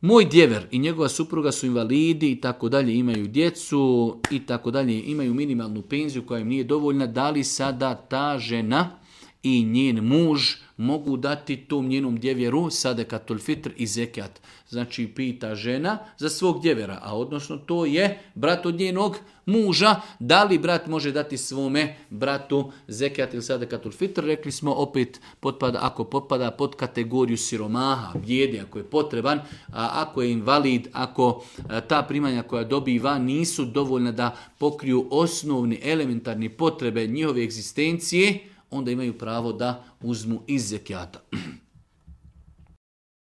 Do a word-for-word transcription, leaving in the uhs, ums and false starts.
Moj djever i njegova supruga su invalidi i tako dalje, imaju djecu i tako dalje, imaju minimalnu penziju koja im nije dovoljna, da li sada ta žena i njen muž mogu dati tom njenom djevjeru sadekatul fitr i zekat. Znači pita žena za svog djevera, a odnosno to je brat od njenog muža. Da li brat može dati svome bratu zekat ili sadekatul fitr? Rekli smo opet, potpada, ako potpada pod kategoriju siromaha, bijedi, ako je potreban, a ako je invalid, ako ta primanja koja dobiva nisu dovoljna da pokriju osnovni elementarni potrebe njihove egzistencije, onda imaju pravo da uzmu iz zekijata.